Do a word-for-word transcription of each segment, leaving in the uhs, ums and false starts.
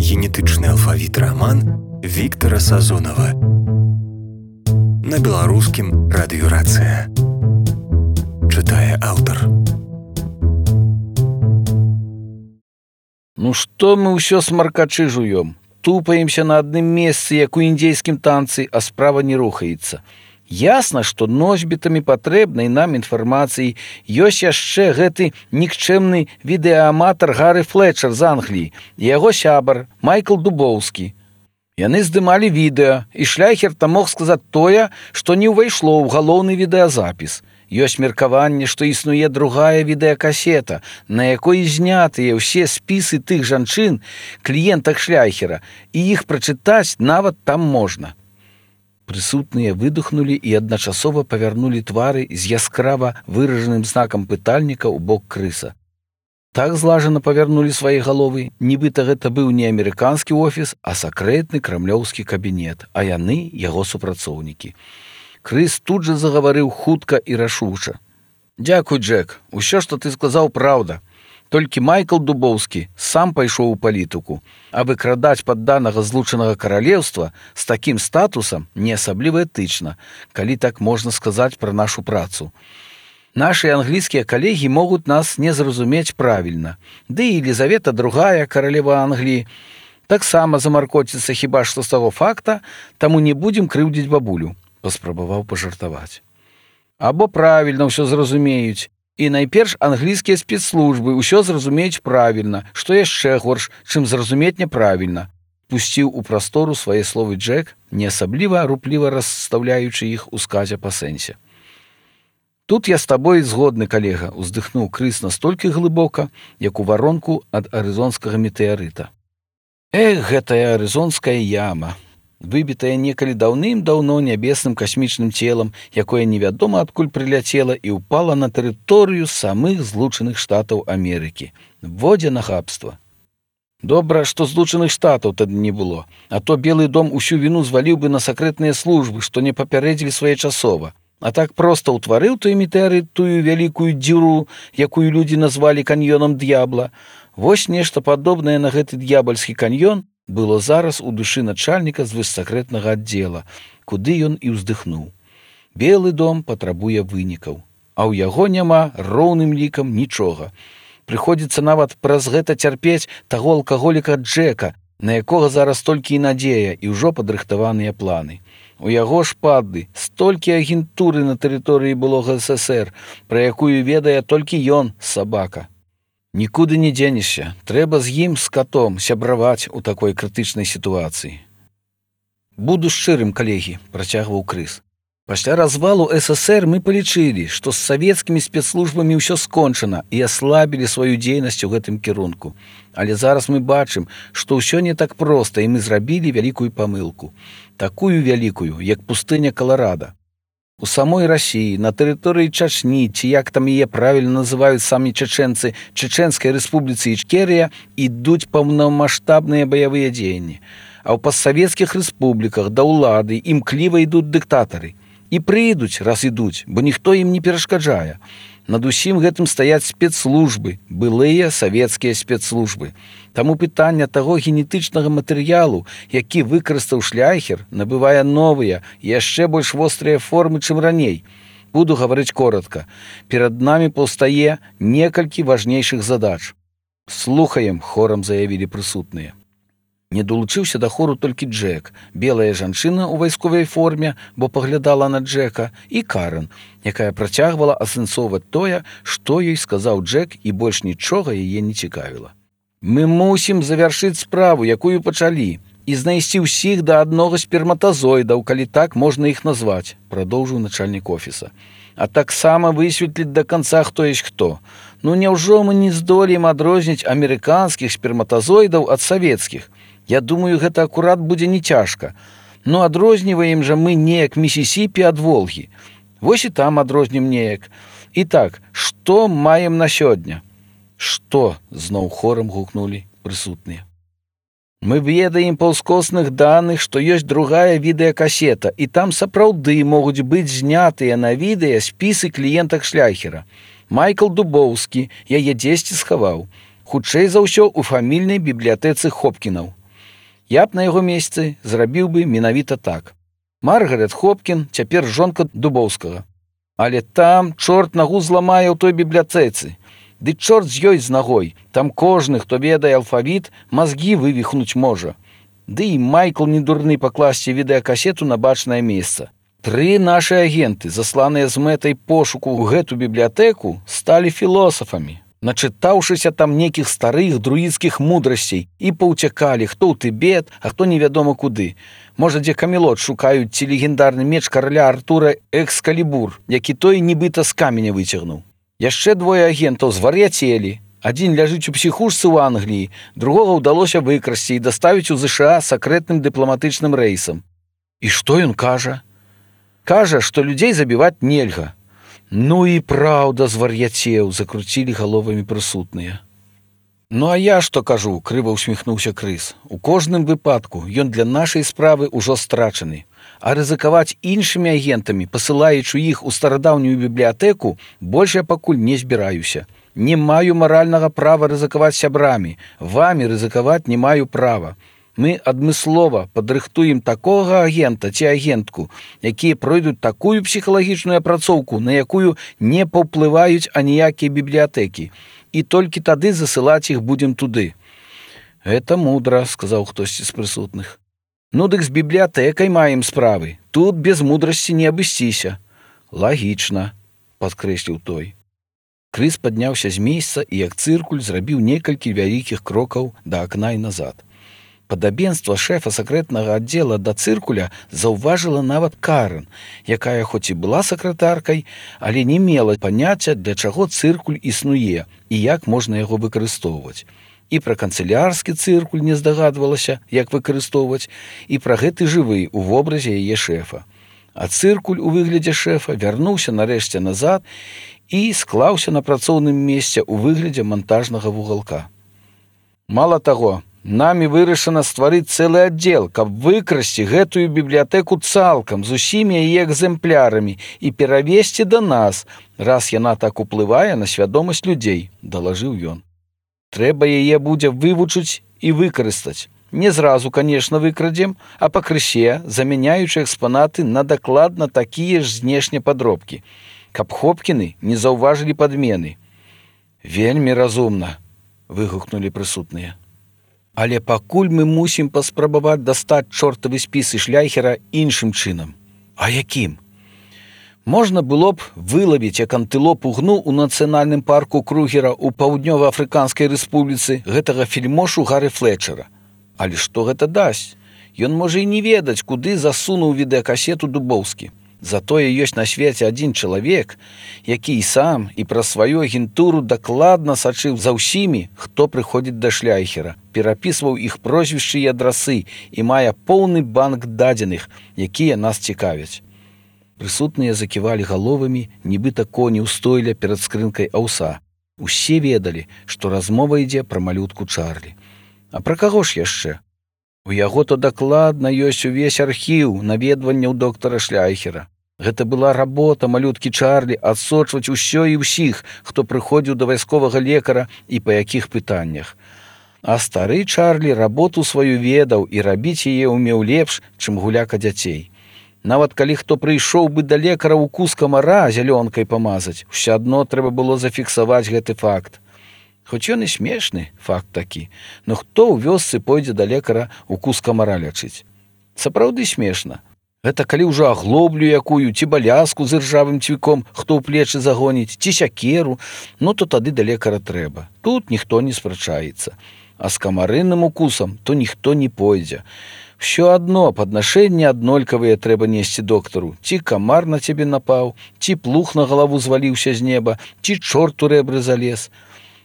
генетычны алфавіт раман Віктара Сазонава. На беларускім радыёрацыя. Чытае аўтар. Ну што мы ўсё смаркачы жуём? Тупаемся на адным месцы, як у індзейскім танцы, а справа не рухаецца. Ясна, што носьбітамі патрэбнай нам інфармацыі ёсць яшчэ гэты нікчэмны відэааматар Гары Флетчер з Англіі і яго сябар Майкл Дубоўскі. Яны здымалі відэа, і Шляйхер там мог сказаць тое, што не ўвайшло ў галоўны відэазапіс. Ёсць меркаванне, што існуе другая відэакасета, на якой знятыя ўсе спісы тых жанчын, кліентак Шляйхера, і іх прачытаць нават там можна. Прысутныя выдохнулі і адначасова павярнулі твары з яскрава выражаным знакам пытальніка ў бок крыса. Так злажана павярнулі свае галовы, нібыта гэта быў не амерыканскі офіс, а сакрэтны крамлёўскі кабінет, а яны яго супрацоўнікі. Крыс тут жа загаварыў хутка і рашуча. «Дзякуй, Джек, усё, што ты сказаў, праўда. Толькі Майкл Дубоўскі сам пайшоў у палітыку, а выкрадаць падданага злучанага каралеўства з такім статусам не асабліва этычна, калі так можна сказаць пра нашу працу. Нашы англійскія калегі могуць нас не зразумець правільна, ды і Елізавета другая, каралева Англіі, таксама замаркоціцца хіба што з таго факта, таму не будзем крыўдзіць бабулю», – паспрабаваў пажартаваць. «Або правільна ўсё зразумеюць, і найперш англійскія спецслужбы ўсё зразумеюць правільна, што яшчэ горш, чым зразумець няправільна», – пусціў у прастору свае словы Джек, не асабліва рупліва расстаўляючы іх у сказе па сэнсе. «Тут я з табой згодны, калега», – уздыхнуў Крыс настолькі глыбока, як у варонку ад арызонскага метэарыта. «Эх, гэтая арызонская яма, выбітая некалі даўным-даўно нябесным касмічным целам, якое невядома адкуль прыляцела і ўпала на тэрыторыю самых злучаных штатаў Амерыкі. Водзе нахабства. Добра, што злучаных штатаў тады не было, а то Белы дом усю віну зваліў бы на сакрэтныя службы, што не папярэдзілі своечасова. А так проста ўтварыў той метэарыт тую вялікую дзюру, якую людзі назвалі каньёнам д'ябла. Вось нешта падобнае на гэты д'ябальскі каньён было зараз у душы начальніка з высакрэтнага аддзела, куды ён і ўздыхнуў. Белы дом патрабуе вынікаў, а ў яго няма роўным лікам нічога. Прыходзіцца нават праз гэта цярпець таго алкаголіка Джека, на якога зараз толькі і надзея і ўжо падрыхтаваныя планы. У яго ж падды столькі агентуры на тэрыторыі былога эс эс ер, пра якую ведае толькі ён, сабака. Нікуды не дзенешся, трэба з ім, з катом, сябраваць у такой крытычнай сітуацыі». «Буду шчырым, калегі», – працягваў Крыс. «Пасля развалу эс эс ер мы палічылі, што з савецкімі спецслужбамі ўсё скончана і аслабілі сваю дзейнасць у гэтым кірунку. Але зараз мы бачым, што ўсё не так проста, і мы зрабілі вялікую памылку. Такую вялікую, як пустыня Каларада. У самой Расіі, на тэрыторыі Чачні, ці як там яе правільна называюць самі чачэнцы, Чеченскай рэспубліцы Ічкерыя, ідуць паўнамаштабныя баявыя дзеянні. А ў пастсавецкіх рэспубліках да ўлады імкліва ідуць дыктатары. І прыйдуць, раз ідуць, бо ніхто ім не перашкаджае. Над усім гэтым стаяць спецслужбы, былыя савецкія спецслужбы. Таму пытанне таго генетычнага матэрыялу, які выкарыстаў Шляйхер, набывае новыя, яшчэ больш вострыя формы, чым раней. Буду гаварыць коротка. Перад намі паўстае некалькі важнейшых задач». «Слухаем», – хорам заявілі прысутныя. Не далучыўся да хору толькі Джек, белая жанчына ў вайсковай форме, бо паглядала на Джека, і Карен, якая працягвала асэнсоўваць тое, што ёй сказаў Джек, і больш нічога яе не цікавіла. «Мы мусім завяршыць справу, якую пачалі, і знайсці ўсіх да аднога сперматазоідаў, калі так можна іх назваць», – прадоўжыў начальнік офіса. «А таксама высветліць да канца, хто ёсць хто. Ну няўжо мы не здолеем адрозніць амерыканскіх сперматазоідаў ад савецкіх? Я думаю, гэта акурат будзе не цяжка. Ну адрозніваем жа мы неяк Місісіпі ад Волгі. Вось і там адрознім неяк. І так, што маем на сёння?» «Што?» – зноў хорам гукнулі прысутныя. «Мы ведаем па ўскосных даных, што ёсць другая відэакасета, і там сапраўды могуць быць знятыя на відэа спісы кліентак Шляйхера. Майкл Дубоўскі яе дзесьці схаваў. Хутчэй за ўсё у фамільнай бібліятэцы Хопкінаў. Я б на яго месцы зрабіў бы менавіта так. Маргарет Хопкін цяпер жонка Дубоўскага. Але там чорт нагу зламае ў той бібліятэцы. Ды чорт з ёй з нагой. Там кожны, хто ведае алфавіт, мазгі вывіхнуць можа. Ды і Майкл не дурны пакласці відэакасету на бачнае месца. Тры нашы агенты, засланыя з мэтай пошуку ў гэту бібліятэку, сталі філосафамі, начытаўшыся там некіх старых друідскіх мудрасцей і паўцякалі, хто ў Тыбет, а хто невядома куды. Можа, дзе Камелот шукаюць ці легендарны меч караля Артура Экскалібур, які той нібыта з каменя выцягнуў. Яшчэ двое агентаў звар'яцелі. Адзін ляжыць у псіхушцы ў Англіі, другога ўдалося выкрасці і даставіць у ЗША сакрэтным дыпламатычным рэйсам. І што ён кажа? Кажа, што людзей забіваць нельга. Ну і праўда, звар'яцеў, закруцілі галовамі прысутныя. Ну а я што кажу, крыва усміхнуўся Крыс. У кожным выпадку ён для нашай справы ўжо страчаны. А рызыкаваць іншымі агентамі, пасылаючы іх у старадаўнюю бібліятэку, больш я пакуль не збіраюся. Не маю маральнага права рызыкаваць сябрамі. Вамі рызыкаваць не маю права. Мы адмыслова падрыхтуем такога агента ці агентку, якія пройдуць такую псіхалагічную апрацоўку, на якую не паўплываюць аніякія бібліятэкі. І толькі тады засылаць іх будзем туды. Гэта мудра, сказаў хтосьці з прысутных. Ну дык з бібліятэкай маем справы. Тут без мудрасці не абысціся. Лагічна, падкрэсліў той. Крыс падняўся з месца і як цыркуль зрабіў некалькі вялікіх крокаў да акна і назад. Падабенства шэфа сакрэтнага аддзела да цыркуля заўважыла нават Карен, якая хоць і была сакратаркай, але не мела паняцця, для чаго цыркуль існуе і як можна яго выкарыстоўваць. І пра канцылярскі цыркуль не здагадвалася, як выкарыстоўваць, і пра гэты жывы ў вобразе яе шэфа. А цыркуль у выглядзе шэфа вярнуўся нарэшце назад і склаўся на працоўным месцы ў выглядзе мантажнага вугалка. Мала таго, намі вырашана стварыць цэлы аддзел, каб выкрасці гэтую бібліятэку цалкам з усімі яе экземплярамі і перавесці да нас, раз яна так уплывае на свядомасць людзей, далажыў ён. Трэба яе будзе вывучыць і выкарыстаць. Не зразу, конечно, выкрадзем, а пакрысе, замяняючы экспанаты на дакладна такія ж знешне падробкі, каб Хопкіны не заўважылі падмены. Вельмі разумна, выгукнулі прысутныя. Але пакуль мы мусім паспрабаваць дастаць чортавы спісы Шляйхера іншым чынам. А якім? Можна было б вылавіць, як антылопу гну ў нацыянальным парку Кругера ў Паўднёва-Афрыканскай рэспубліцы гэтага фільмошу Гары Флетчера. Але што гэта дасць? Ён можа і не ведаць, куды засунуў відэакасету Дубоўскі. Затое ёсць на свеце адзін чалавек, які і сам і праз сваю агентуру дакладна сачыў за ўсімі, хто прыходзіць да Шляйхера, перапісваў іх прозвішчы і адрасы і мае поўны банк дадзеных, якія нас цікавяць. Прысутныя заківалі галовамі, нібыта коні ўстойля перад скрынкай аўса. Усе ведалі, што размова ідзе пра малютку Чарлі. А пра каго ж яшчэ? У яго то дакладна ёсць увесь архіў наведванняў доктара Шляйхера. Гэта была работа малюткі Чарлі адсочваць усё і ўсіх, хто прыходзіў да вайсковага лекара і па якіх пытаннях. А стары Чарлі работу сваю ведаў і рабіць яе ўмеў лепш, чым гуляка дзяцей. Нават калі хто прыйшоў бы да лекара укус камара зялёнкай памазаць, усё адно трэба было зафіксаваць гэты факт. Хоць ён і смешны, факт такі, но хто ў вёсцы пойдзе да лекара укус камара лячыць? Сапраўды смешна. Гэта калі ўжо аглоблю якую, ці балязку з іржавым цвіком, хто ў плечы загоніць, ці сякеру, ну то тады да лекара трэба. Тут ніхто не спрачаецца. А з камарынным укусам то ніхто не пойдзе. Всё адно паднашэнні аднолькавыя трэба несці доктару. Ці камар на цябе напаў, ці плуг на галаву зваліўся з неба, ці чорт у рэбры залез.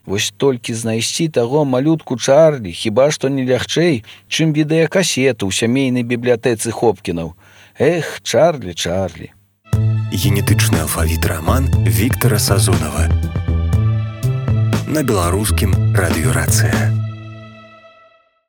Вось толькі знайсці таго малютку Чарлі хіба што не лягчэй, чым відэакасету ў сямейнай бібліятэцы Хопкінаў. Эх, Чарлі, Чарлі. Генетычны алфавіт раман Віктара Сазонава. На беларускім радыёрацыя.